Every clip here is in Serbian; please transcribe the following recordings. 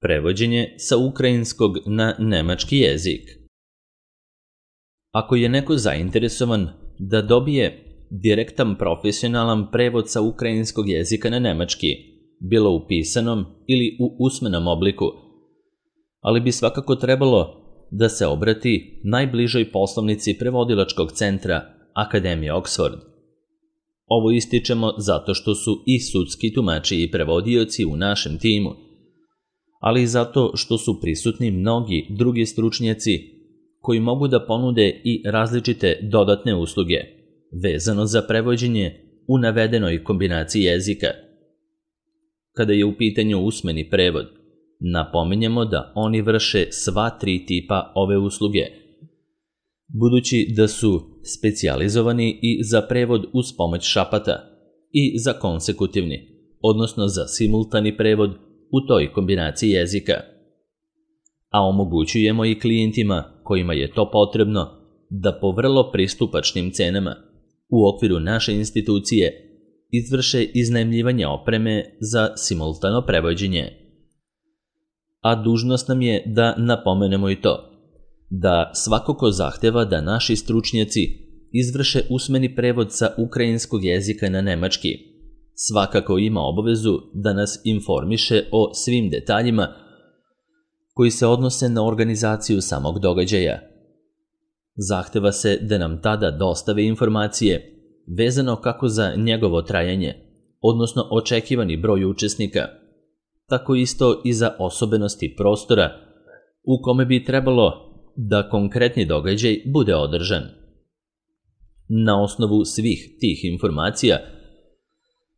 Prevođenje sa ukrajinskog na nemački jezik. Ako je neko zainteresovan da dobije direktan profesionalan prevod sa ukrajinskog jezika na nemački, bilo u pisanom ili u usmenom obliku, ali bi svakako trebalo da se obrati najbližoj poslovnici prevodilačkog centra Akademije Oxford. Ovo ističemo zato što su i sudski tumači i prevodioci u našem timu, ali i zato što su prisutni mnogi drugi stručnjaci koji mogu da ponude i različite dodatne usluge vezano za prevođenje u navedenoj kombinaciji jezika. Kada je u pitanju usmeni prevod, napominjemo da oni vrše sva tri tipa ove usluge, budući da su specijalizovani i za prevod uz pomoć šapata i za konsekutivni, odnosno za simultani prevod u toj kombinaciji jezika. A omogućujemo i klijentima kojima je to potrebno da po vrlo pristupačnim cenama u okviru naše institucije izvrše iznajmljivanje opreme za simultano prevođenje. A dužnost nam je da napomenemo i to, da svako ko zahteva da naši stručnjaci izvrše usmeni prevod sa ukrajinskog jezika na nemački, svakako ima obavezu da nas informiše o svim detaljima koji se odnose na organizaciju samog događaja. Zahteva se da nam tada dostave informacije vezano kako za njegovo trajanje, odnosno očekivani broj učesnika, tako isto i za osobenosti prostora u kome bi trebalo da konkretni događaj bude održan. Na osnovu svih tih informacija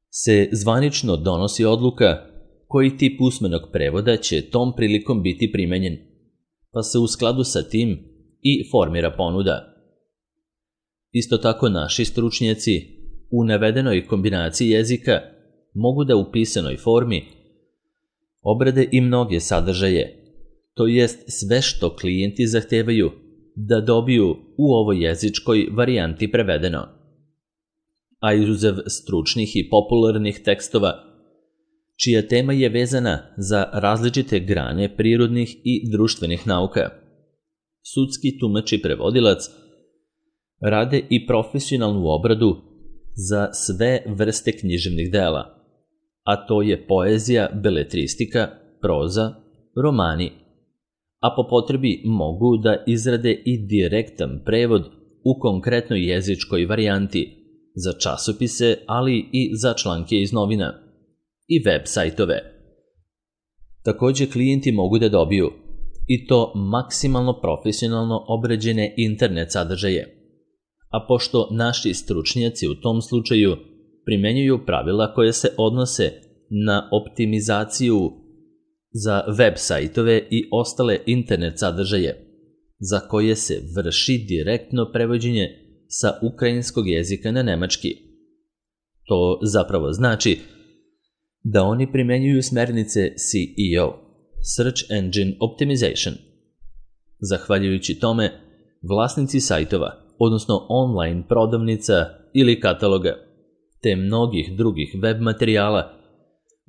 se zvanično donosi odluka koji tip usmenog prevoda će tom prilikom biti primenjen, pa se u skladu sa tim i formira ponuda. Isto tako naši stručnjaci u navedenoj kombinaciji jezika mogu da u pisanoj formi obrade i mnoge sadržaje, to jest sve što klijenti zahtevaju da dobiju u ovoj jezičkoj varijanti prevedeno. A izuzev stručnih i popularnih tekstova, čija tema je vezana za različite grane prirodnih i društvenih nauka, sudski tumač i prevodilac rade i profesionalnu obradu za sve vrste književnih dela, a to je poezija, beletristika, proza, romani, a po potrebi mogu da izrade i direktan prevod u konkretnoj jezičkoj varijanti za časopise, ali i za članke iz novina i web sajtove. Takođe, klijenti mogu da dobiju i to maksimalno profesionalno obrađene internet sadržaje, a pošto naši stručnjaci u tom slučaju primenjuju pravila koje se odnose na optimizaciju za web sajtove i ostale internet sadržaje, za koje se vrši direktno prevođenje sa ukrajinskog jezika na nemački. To zapravo znači da oni primenjuju smernice SEO, Search Engine Optimization. Zahvaljujući tome, vlasnici sajtova, odnosno online prodavnica ili kataloga, te mnogih drugih web materijala,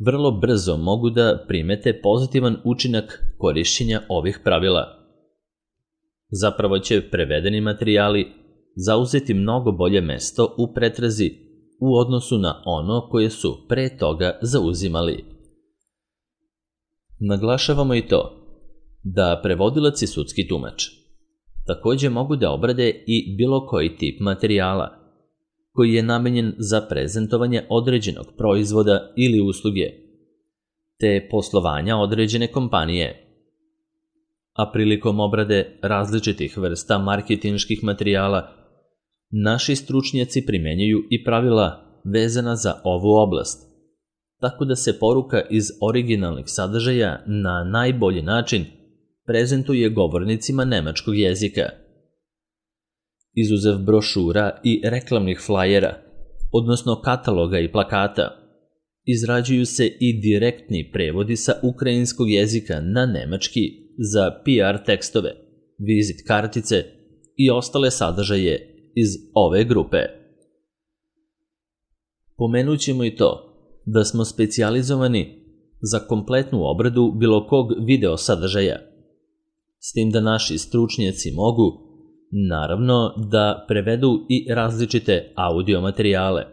vrlo brzo mogu da primete pozitivan učinak korišćenja ovih pravila. Zapravo će prevedeni materijali zauzeti mnogo bolje mesto u pretrazi u odnosu na ono koje su pre toga zauzimali. Naglašavamo i to da prevodilac i sudski tumač takođe mogu da obrade i bilo koji tip materijala koji je namenjen za prezentovanje određenog proizvoda ili usluge, te poslovanja određene kompanije. A prilikom obrade različitih vrsta marketinških materijala, naši stručnjaci primenjuju i pravila vezana za ovu oblast, tako da se poruka iz originalnih sadržaja na najbolji način prezentuje govornicima nemačkog jezika. Izuzev brošura i reklamnih flajera, odnosno kataloga i plakata, izrađuju se i direktni prevodi sa ukrajinskog jezika na nemački za PR tekstove, vizit kartice i ostale sadržaje iz ove grupe. Pomenut ćemo i to da smo specijalizovani za kompletnu obradu bilo kog video sadržaja, s tim da naši stručnjaci mogu, naravno, da prevedu i različite audio materijale.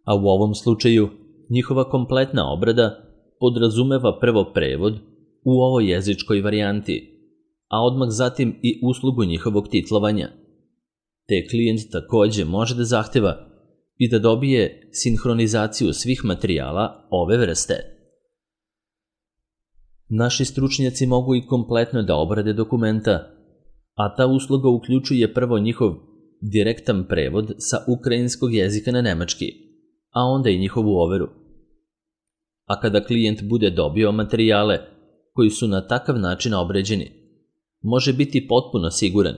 A u ovom slučaju, njihova kompletna obrada podrazumeva prvo prevod u ovoj jezičkoj varijanti, a odmah zatim i uslugu njihovog titlovanja. Te klijent takođe može da zahteva i da dobije sinhronizaciju svih materijala ove vrste. Naši stručnjaci mogu i kompletno da obrade dokumenta, a ta usluga uključuje prvo njihov direktan prevod sa ukrajinskog jezika na nemački, a onda i njihovu overu. A kada klijent bude dobio materijale koji su na takav način obređeni, može biti potpuno siguran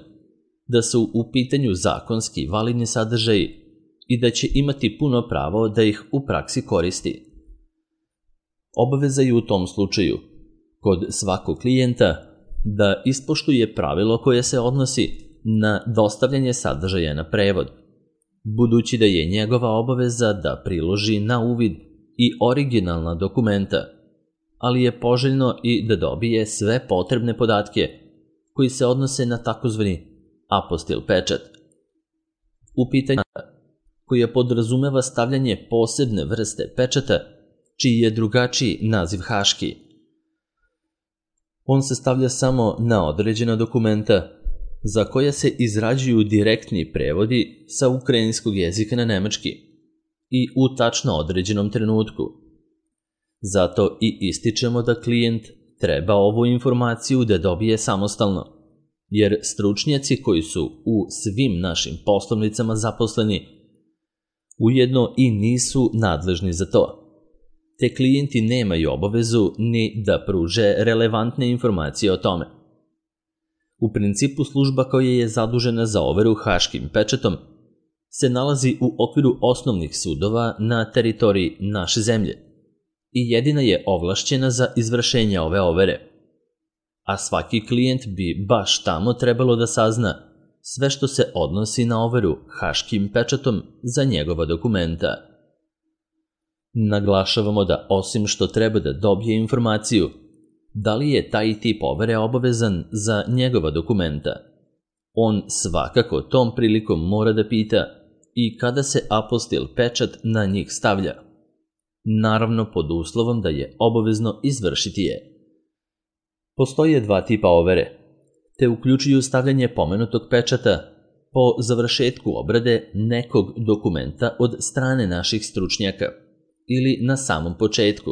da su u pitanju zakonski validni sadržaji i da će imati puno pravo da ih u praksi koristi. Obaveza je u tom slučaju, kod svakog klijenta, da ispoštuje pravilo koje se odnosi na dostavljanje sadržaja na prevod, budući da je njegova obaveza da priloži na uvid i originalna dokumenta, ali je poželjno i da dobije sve potrebne podatke koji se odnose na takozvani apostil pečat. U pitanju koje podrazumeva stavljanje posebne vrste pečata, čiji je drugačiji naziv haški. On se stavlja samo na određena dokumenta za koja se izrađuju direktni prevodi sa ukrajinskog jezika na nemački i u tačno određenom trenutku. Zato i ističemo da klijent treba ovu informaciju da dobije samostalno, jer stručnjaci koji su u svim našim poslovnicama zaposleni ujedno i nisu nadležni za to. Te klijenti nemaju obavezu ni da pruže relevantne informacije o tome. U principu služba koja je zadužena za overu haškim pečatom se nalazi u okviru osnovnih sudova na teritoriji naše zemlje i jedina je ovlašćena za izvršenje ove overe. A svaki klijent bi baš tamo trebalo da sazna sve što se odnosi na overu haškim pečatom za njegova dokumenta. Naglašavamo da osim što treba da dobije informaciju da li je taj tip overe obavezan za njegova dokumenta, on svakako tom prilikom mora da pita i kada se apostil pečat na njih stavlja, naravno pod uslovom da je obavezno izvršiti je. Postoje dva tipa overe, te uključuju stavljanje pomenutog pečata po završetku obrade nekog dokumenta od strane naših stručnjaka ili na samom početku,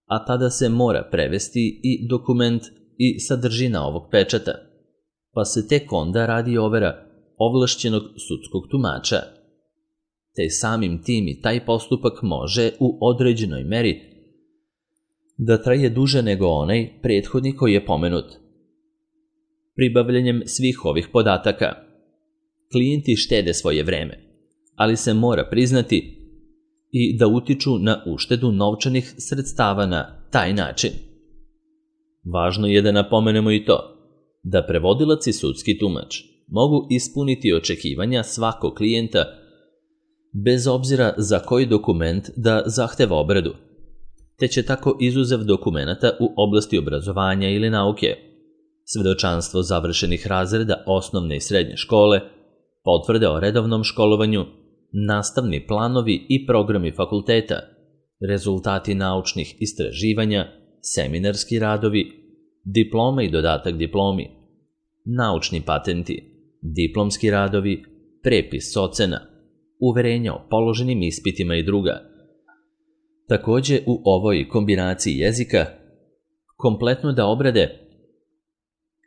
a tada se mora prevesti i dokument i sadržina ovog pečata, pa se tek onda radi overa ovlašćenog sudskog tumača. Te samim tim i taj postupak može u određenoj meri da traje duže nego onaj prethodni koji je pomenut. Pribavljanjem svih ovih podataka, klijenti štede svoje vreme, ali se mora priznati i da utiču na uštedu novčanih sredstava na taj način. Važno je da napomenemo i to da prevodilac i sudski tumač mogu ispuniti očekivanja svakog klijenta bez obzira za koji dokument da zahteva obradu, te će tako izuzev dokumenata u oblasti obrazovanja ili nauke, svedočanstvo završenih razreda osnovne i srednje škole, potvrde o redovnom školovanju, nastavni planovi i programi fakulteta, rezultati naučnih istraživanja, seminarski radovi, diploma i dodatak diplomi, naučni patenti, diplomski radovi, prepis ocena, uverenja o položenim ispitima i druga. Takođe u ovoj kombinaciji jezika kompletno da obrade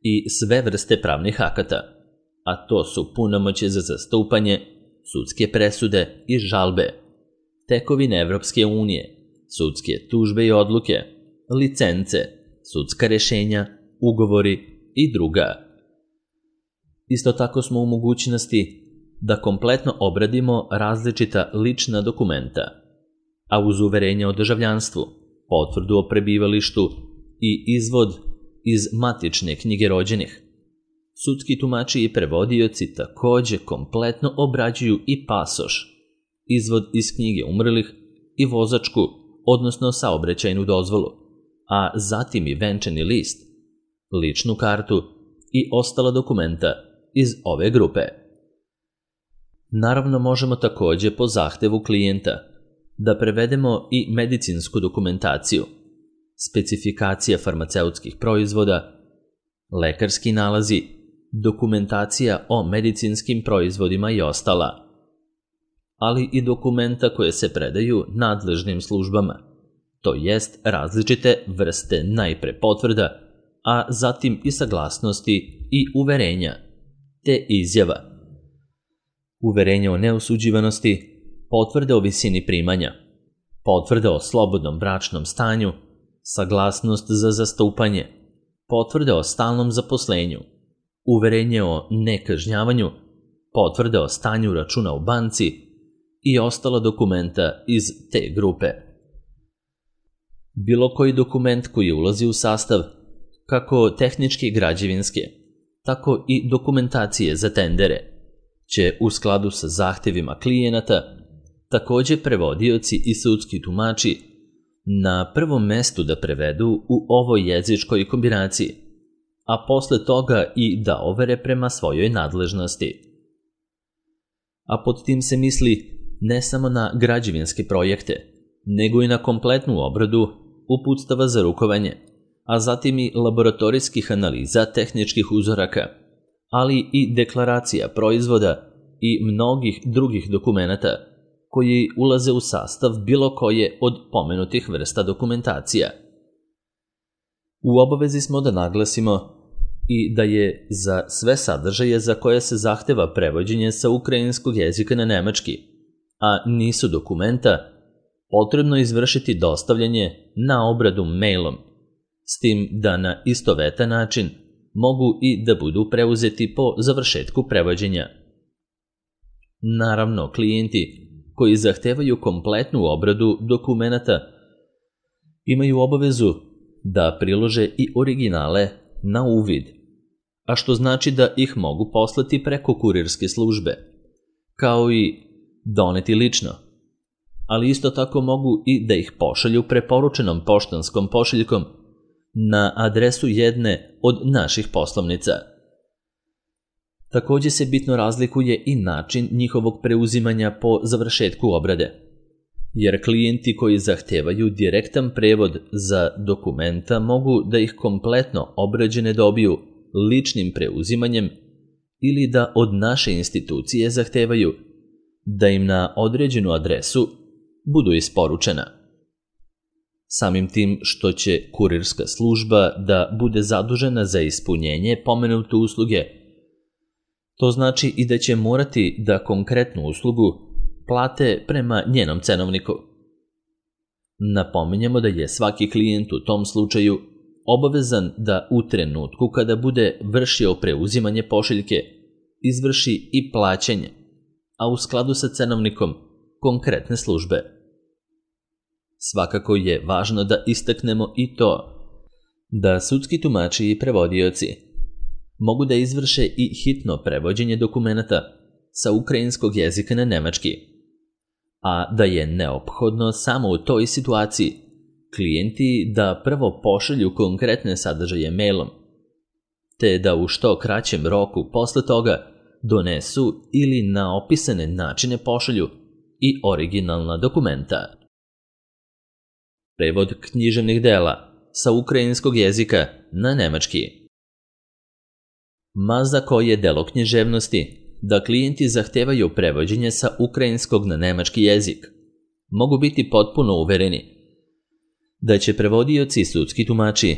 i sve vrste pravnih akata, a to su punomoćje za zastupanje, sudske presude i žalbe, tekovine Evropske unije, sudske tužbe i odluke, licence, sudska rešenja, ugovori i druga. Isto tako smo u mogućnosti da kompletno obradimo različita lična dokumenta, a uz uverenje o državljanstvu, potvrdu o prebivalištu i izvod iz matične knjige rođenih. Sudski tumači i prevodioci takođe kompletno obrađuju i pasoš, izvod iz knjige umrlih i vozačku, odnosno saobraćajnu dozvolu, a zatim i venčani list, ličnu kartu i ostala dokumenta iz ove grupe. Naravno, možemo takođe po zahtevu klijenta da prevedemo i medicinsku dokumentaciju, specifikacija farmaceutskih proizvoda, lekarski nalazi, dokumentacija o medicinskim proizvodima i ostala, ali i dokumenta koje se predaju nadležnim službama, to jest različite vrste najpre potvrda, a zatim i saglasnosti i uverenja, te izjava. Uverenje o neosuđivanosti, potvrde o visini primanja, potvrde o slobodnom bračnom stanju, saglasnost za zastupanje, potvrde o stalnom zaposlenju, uverenje o nekažnjavanju, potvrde o stanju računa u banci i ostala dokumenta iz te grupe. Bilo koji dokument koji ulazi u sastav, kako tehničke i građevinske, tako i dokumentacije za tendere, će u skladu sa zahtevima klijenata takođe prevodioci i sudski tumači na prvom mestu da prevedu u ovoj jezičkoj kombinaciji, a posle toga i da overe prema svojoj nadležnosti. A pod tim se misli ne samo na građevinske projekte, nego i na kompletnu obradu uputstava za rukovanje, a zatim i laboratorijskih analiza tehničkih uzoraka, ali i deklaracija proizvoda i mnogih drugih dokumenata koji ulaze u sastav bilo koje od pomenutih vrsta dokumentacija. U obavezi smo da naglasimo i da je za sve sadržaje za koje se zahteva prevođenje sa ukrajinskog jezika na nemački, a nisu dokumenta, potrebno izvršiti dostavljanje na obradu mailom, s tim da na istovetan način mogu i da budu preuzeti po završetku prevođenja. Naravno, klijenti koji zahtevaju kompletnu obradu dokumenata imaju obavezu da prilože i originale na uvid, a što znači da ih mogu poslati preko kurirske službe, kao i doneti lično, ali isto tako mogu i da ih pošalju preporučenom poštanskom pošiljkom na adresu jedne od naših poslovnica. Takođe se bitno razlikuje i način njihovog preuzimanja po završetku obrade, jer klijenti koji zahtevaju direktan prevod za dokumenta mogu da ih kompletno obrađene dobiju ličnim preuzimanjem ili da od naše institucije zahtevaju da im na određenu adresu budu isporučena. Samim tim što će kurirska služba da bude zadužena za ispunjenje pomenute usluge, to znači i da će morati da konkretnu uslugu plate prema njenom cenovniku. Napominjemo da je svaki klijent u tom slučaju obavezan da u trenutku kada bude vršio preuzimanje pošiljke izvrši i plaćanje, a u skladu sa cenovnikom konkretne službe. Svakako je važno da istaknemo i to da sudski tumači i prevodioci mogu da izvrše i hitno prevođenje dokumenata sa ukrajinskog jezika na nemački, a da je neophodno samo u toj situaciji klijenti da prvo pošalju konkretne sadržaje mailom, te da u što kraćem roku posle toga donesu ili na opisane načine pošalju i originalna dokumenta. Prevod književnih dela sa ukrajinskog jezika na nemački. Ma za koje delo književnosti da klijenti zahtevaju prevođenje sa ukrajinskog na nemački jezik, mogu biti potpuno uvereni da će prevodioci i sudski tumači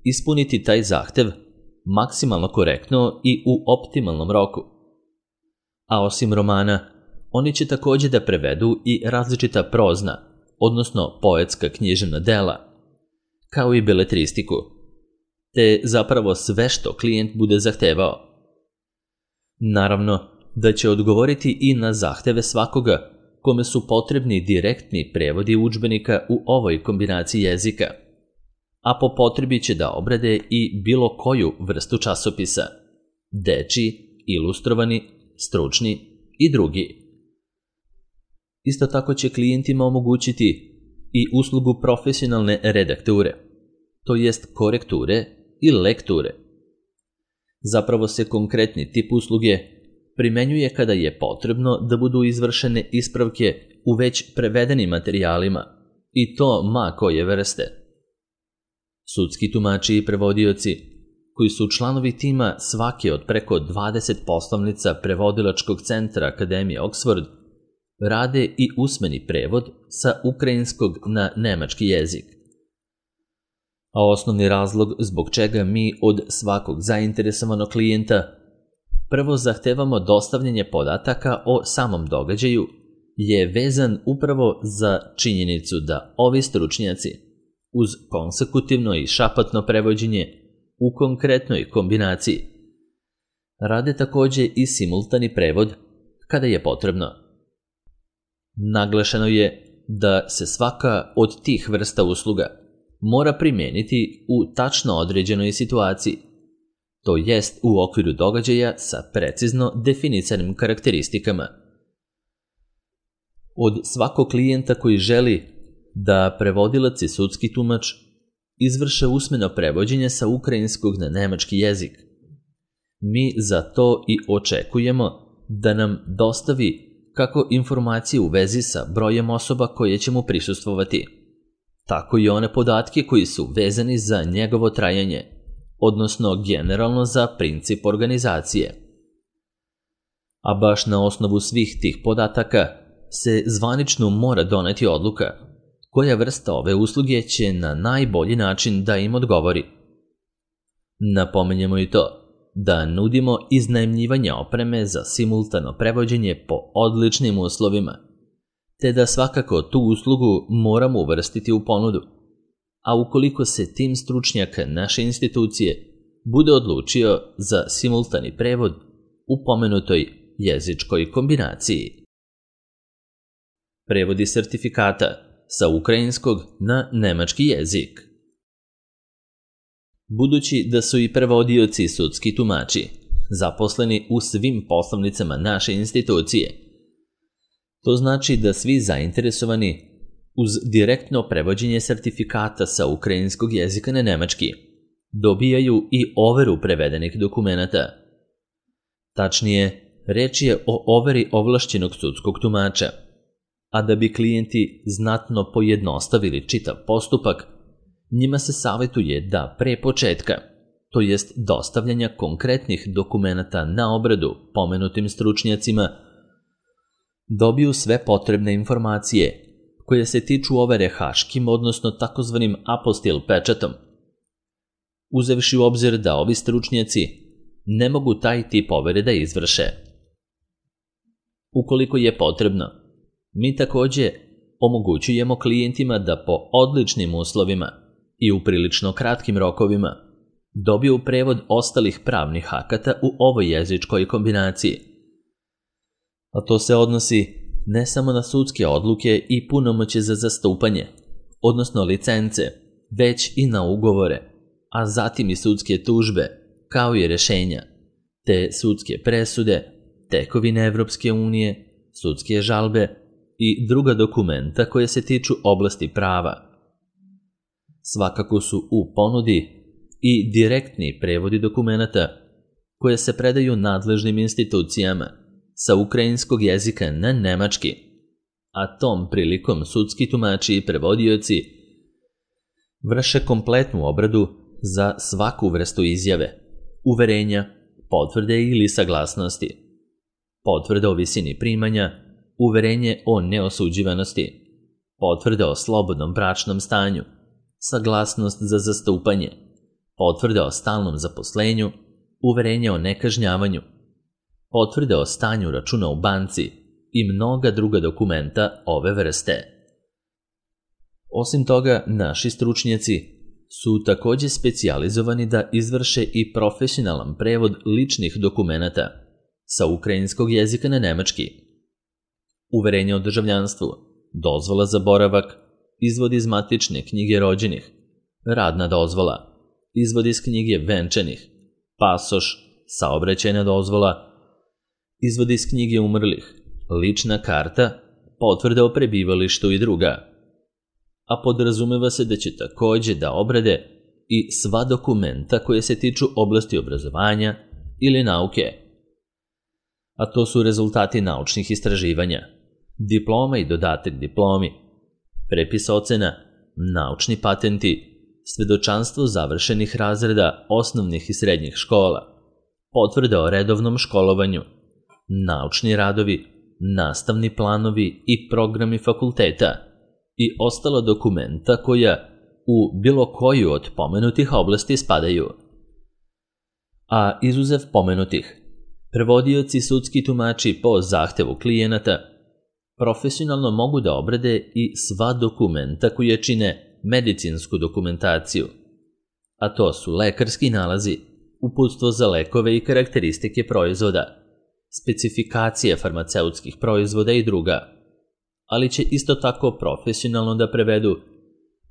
ispuniti taj zahtev maksimalno korektno i u optimalnom roku. A osim romana, oni će takođe da prevedu i različita prozna, odnosno poetska književna dela, kao i beletristiku, te zapravo sve što klijent bude zahtevao. Naravno da će odgovoriti i na zahteve svakoga kome su potrebni direktni prevodi udžbenika u ovoj kombinaciji jezika, a po potrebi će da obrade i bilo koju vrstu časopisa, dečiji, ilustrovani, stručni i drugi. Isto tako će klijentima omogućiti i uslugu profesionalne redakture, to jest korekture i lekture. Zapravo se konkretni tip usluge primenjuje kada je potrebno da budu izvršene ispravke u već prevedenim materijalima, i to ma koje vrste. Sudski tumači i prevodioci, koji su članovi tima svake od preko 20 poslovnica prevodilačkog centra Akademije Oxford, rade i usmeni prevod sa ukrajinskog na nemački jezik. A osnovni razlog zbog čega mi od svakog zainteresovanog klijenta prvo zahtevamo dostavljanje podataka o samom događaju je vezan upravo za činjenicu da ovi stručnjaci uz konsekutivno i šapatno prevođenje u konkretnoj kombinaciji rade takođe i simultani prevod kada je potrebno. Naglašeno je da se svaka od tih vrsta usluga mora primijeniti u tačno određenoj situaciji, to jest u okviru događaja sa precizno definisanim karakteristikama. Od svakog klijenta koji želi da prevodilac i sudski tumač izvrše usmeno prevođenje sa ukrajinskog na nemački jezik, mi za to i očekujemo da nam dostavi kako informacije u vezi sa brojem osoba koje će mu prisustvovati, tako i one podatke koji su vezani za njegovo trajanje, odnosno generalno za princip organizacije. A baš na osnovu svih tih podataka se zvanično mora doneti odluka koja vrsta ove usluge će na najbolji način da im odgovori. Napomenjemo i to da nudimo iznajmljivanje opreme za simultano prevođenje po odličnim uslovima, te da svakako tu uslugu moramo uvrstiti u ponudu, a ukoliko se tim stručnjaka naše institucije bude odlučio za simultani prevod u pomenutoj jezičkoj kombinaciji. Prevodi sertifikata sa ukrajinskog na nemački jezik. Budući da su i prevodioci i sudski tumači zaposleni u svim poslovnicama naše institucije, to znači da svi zainteresovani uz direktno prevođenje sertifikata sa ukrajinskog jezika na nemački dobijaju i overu prevedenih dokumenata. Tačnije, reč je o overi ovlašćenog sudskog tumača, a da bi klijenti znatno pojednostavili čitav postupak, njima se savjetuje da pre početka, to jest dostavljanja konkretnih dokumenata na obradu pomenutim stručnjacima, dobiju sve potrebne informacije koje se tiču overe haškim, odnosno takozvanim apostil pečatom, uzevši u obzir da ovi stručnjaci ne mogu taj tip overe da izvrše. Ukoliko je potrebno, mi takođe omogućujemo klijentima da po odličnim uslovima i u prilično kratkim rokovima dobiju prevod ostalih pravnih akata u ovoj jezičkoj kombinaciji. A to se odnosi ne samo na sudske odluke i punomoćje za zastupanje, odnosno licence, već i na ugovore, a zatim i sudske tužbe, kao i rešenja, te sudske presude, tekovine Evropske unije, sudske žalbe i druga dokumenta koje se tiču oblasti prava. Svakako su u ponudi i direktni prevodi dokumenata koje se predaju nadležnim institucijama sa ukrajinskog jezika na nemački, a tom prilikom sudski tumači i prevodioci vrše kompletnu obradu za svaku vrstu izjave, uverenja, potvrde ili saglasnosti, potvrde o visini primanja, uverenje o neosuđivanosti, potvrde o slobodnom bračnom stanju, saglasnost za zastupanje, potvrde o stalnom zaposlenju, uverenje o nekažnjavanju, potvrde o stanju računa u banci i mnoga druga dokumenta ove vrste. Osim toga, naši stručnjaci su takođe specijalizovani da izvrše i profesionalan prevod ličnih dokumenata sa ukrajinskog jezika na nemački. Uverenje o državljanstvu, dozvola za boravak, izvod iz matične knjige rođenih, radna dozvola, izvod iz knjige venčanih, pasoš, saobraćajna dozvola, izvod iz knjige umrlih, lična karta, potvrda o prebivalištu i druga. a podrazumeva se da će takođe da obrade i sva dokumenta koje se tiču oblasti obrazovanja ili nauke. A to su rezultati naučnih istraživanja, diploma i dodatak diplomi, prepis ocena, naučni patenti, svedočanstvo završenih razreda osnovnih i srednjih škola, potvrda o redovnom školovanju, naučni radovi, nastavni planovi i programi fakulteta i ostala dokumenta koja u bilo koju od pomenutih oblasti spadaju. A izuzev pomenutih, prevodioci i sudski tumači po zahtevu klijenata profesionalno mogu da obrade i sva dokumenta koje čine medicinsku dokumentaciju, a to su lekarski nalazi, uputstvo za lekove i karakteristike proizvoda, specifikacije farmaceutskih proizvoda i druga, ali će isto tako profesionalno da prevedu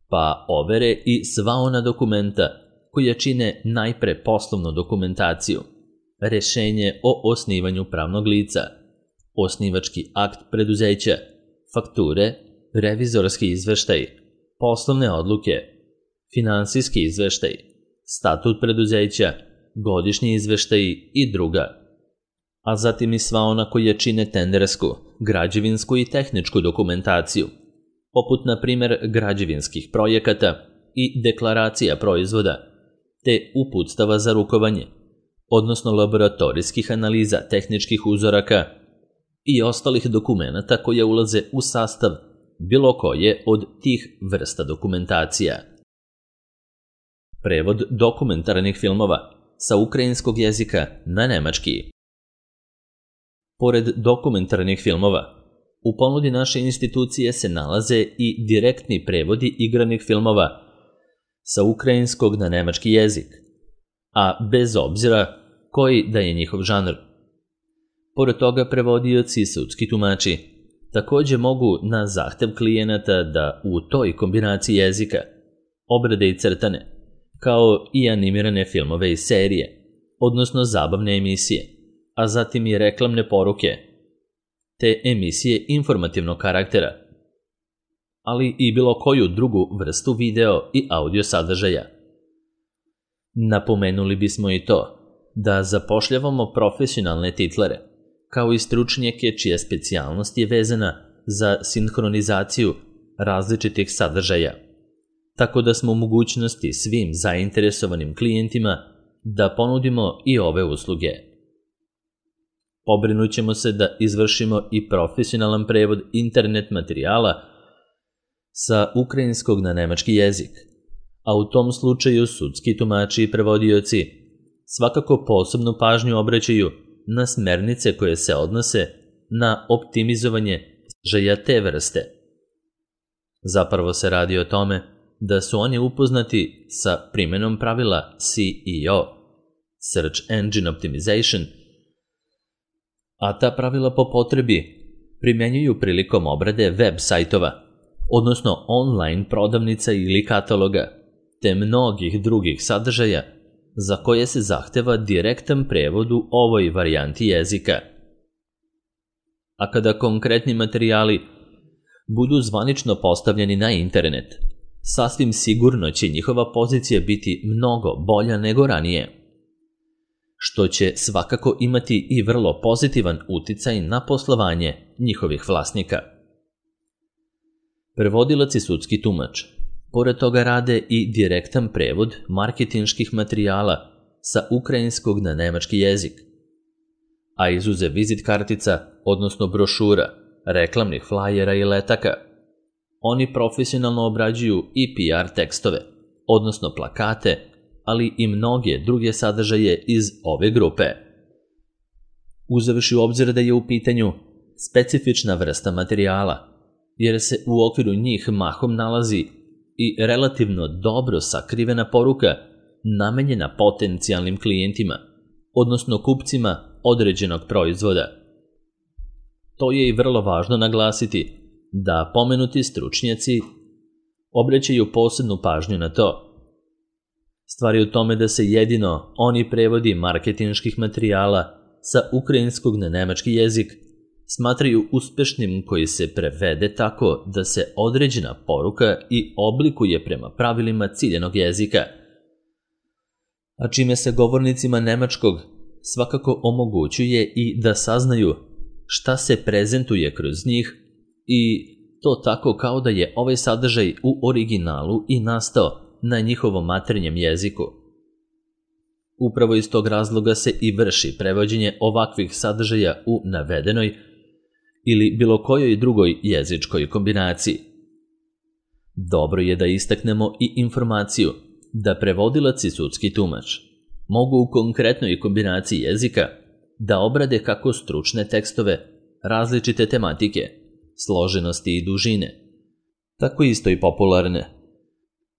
pa overe i sva ona dokumenta koja čine najpre poslovnu dokumentaciju, rešenje o osnivanju pravnog lica, osnivački akt preduzeća, fakture, revizorski izveštaj, poslovne odluke, finansijski izveštaj, statut preduzeća, godišnji izveštaj i druga, a zatim i sva ona koja čine tendersku, građevinsku i tehničku dokumentaciju, poput na primer građevinskih projekata i deklaracija proizvoda, te uputstava za rukovanje, odnosno laboratorijskih analiza tehničkih uzoraka i ostalih dokumenata koje ulaze u sastav bilo koje od tih vrsta dokumentacija. Prevod dokumentarnih filmova sa ukrajinskog jezika na nemački. Pored dokumentarnih filmova, u ponudi naše institucije se nalaze i direktni prevodi igranih filmova sa ukrajinskog na nemački jezik, a bez obzira koji da je njihov žanr. Pored toga, prevodioci i sudski tumači takođe mogu na zahtev klijenata da u toj kombinaciji jezika obrade i crtane, kao i animirane filmove i serije, odnosno zabavne emisije, a zatim i reklamne poruke, te emisije informativnog karaktera, ali i bilo koju drugu vrstu video i audio sadržaja. Napomenuli bismo i to da zapošljavamo profesionalne titlere, kao i stručnjake čija specijalnost je vezana za sinhronizaciju različitih sadržaja, tako da smo u mogućnosti svim zainteresovanim klijentima da ponudimo i ove usluge. Pobrinut ćemo se da izvršimo i profesionalan prevod internet materijala sa ukrajinskog na nemački jezik, a u tom slučaju sudski tumači i prevodioci svakako posebnu pažnju obraćaju na smernice koje se odnose na optimizovanje sadržaja te vrste. Zapravo se radi o tome da su oni upoznati sa primenom pravila SEO, Search Engine Optimization, a ta pravila po potrebi primjenjuju prilikom obrade web sajtova, odnosno online prodavnica ili kataloga, te mnogih drugih sadržaja za koje se zahteva direktan prevod u ovoj varijanti jezika. A kada konkretni materijali budu zvanično postavljeni na internet, sasvim sigurno će njihova pozicija biti mnogo bolja nego ranije, što će svakako imati i vrlo pozitivan uticaj na poslovanje njihovih vlasnika. Prevodilac i sudski tumač pored toga rade i direktan prevod marketinških materijala sa ukrajinskog na nemački jezik, a izuzev vizit kartica, odnosno brošura, reklamnih flajera i letaka, oni profesionalno obrađuju i PR tekstove, odnosno plakate, ali i mnoge druge sadržaje iz ove grupe. Uzevši u obzir da je u pitanju specifična vrsta materijala, jer se u okviru njih mahom nalazi i relativno dobro sakrivena poruka namenjena potencijalnim klijentima, odnosno kupcima određenog proizvoda. To je i vrlo važno naglasiti da pomenuti stručnjaci obraćaju posebnu pažnju na to. Stvar je u tome da se jedino oni prevodi marketinških materijala sa ukrajinskog na nemački jezik smatraju uspešnim koji se prevede tako da se određena poruka i oblikuje prema pravilima ciljanog jezika, a čime se govornicima nemačkog svakako omogućuje i da saznaju šta se prezentuje kroz njih i to tako kao da je ovaj sadržaj u originalu i nastao na njihovom maternjem jeziku. Upravo iz tog razloga se i vrši prevođenje ovakvih sadržaja u navedenoj ili bilo kojoj drugoj jezičkoj kombinaciji. Dobro je da istaknemo i informaciju da prevodilac i sudski tumač mogu u konkretnoj kombinaciji jezika da obrade kako stručne tekstove, različite tematike, složenosti i dužine, tako isto i popularne.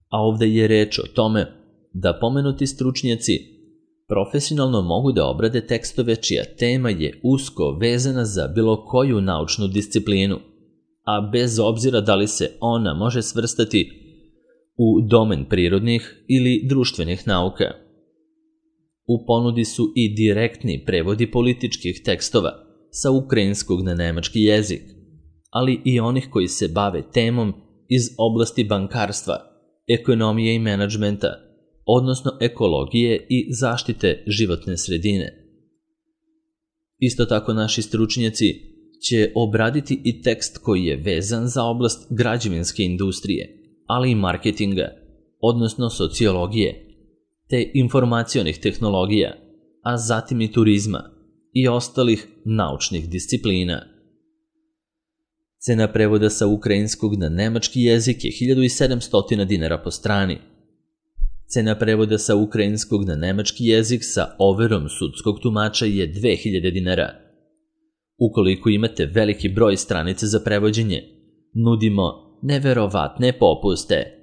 A ovde je reč o tome da pomenuti stručnjaci profesionalno mogu da obrade tekstove čija tema je usko vezana za bilo koju naučnu disciplinu, a bez obzira da li se ona može svrstati u domen prirodnih ili društvenih nauka. U ponudi su i direktni prevodi političkih tekstova sa ukrajinskog na nemački jezik, ali i onih koji se bave temom iz oblasti bankarstva, ekonomije i menadžmenta, odnosno ekologije i zaštite životne sredine. Isto tako naši stručnjaci će obraditi i tekst koji je vezan za oblast građevinske industrije, ali i marketinga, odnosno sociologije, te informacionih tehnologija, a zatim i turizma i ostalih naučnih disciplina. Cena prevoda sa ukrajinskog na nemački jezik je 1700 dinara po strani. Cena prevoda sa ukrajinskog na nemački jezik sa overom sudskog tumača je 2000 dinara. Ukoliko imate veliki broj stranica za prevođenje, nudimo neverovatne popuste.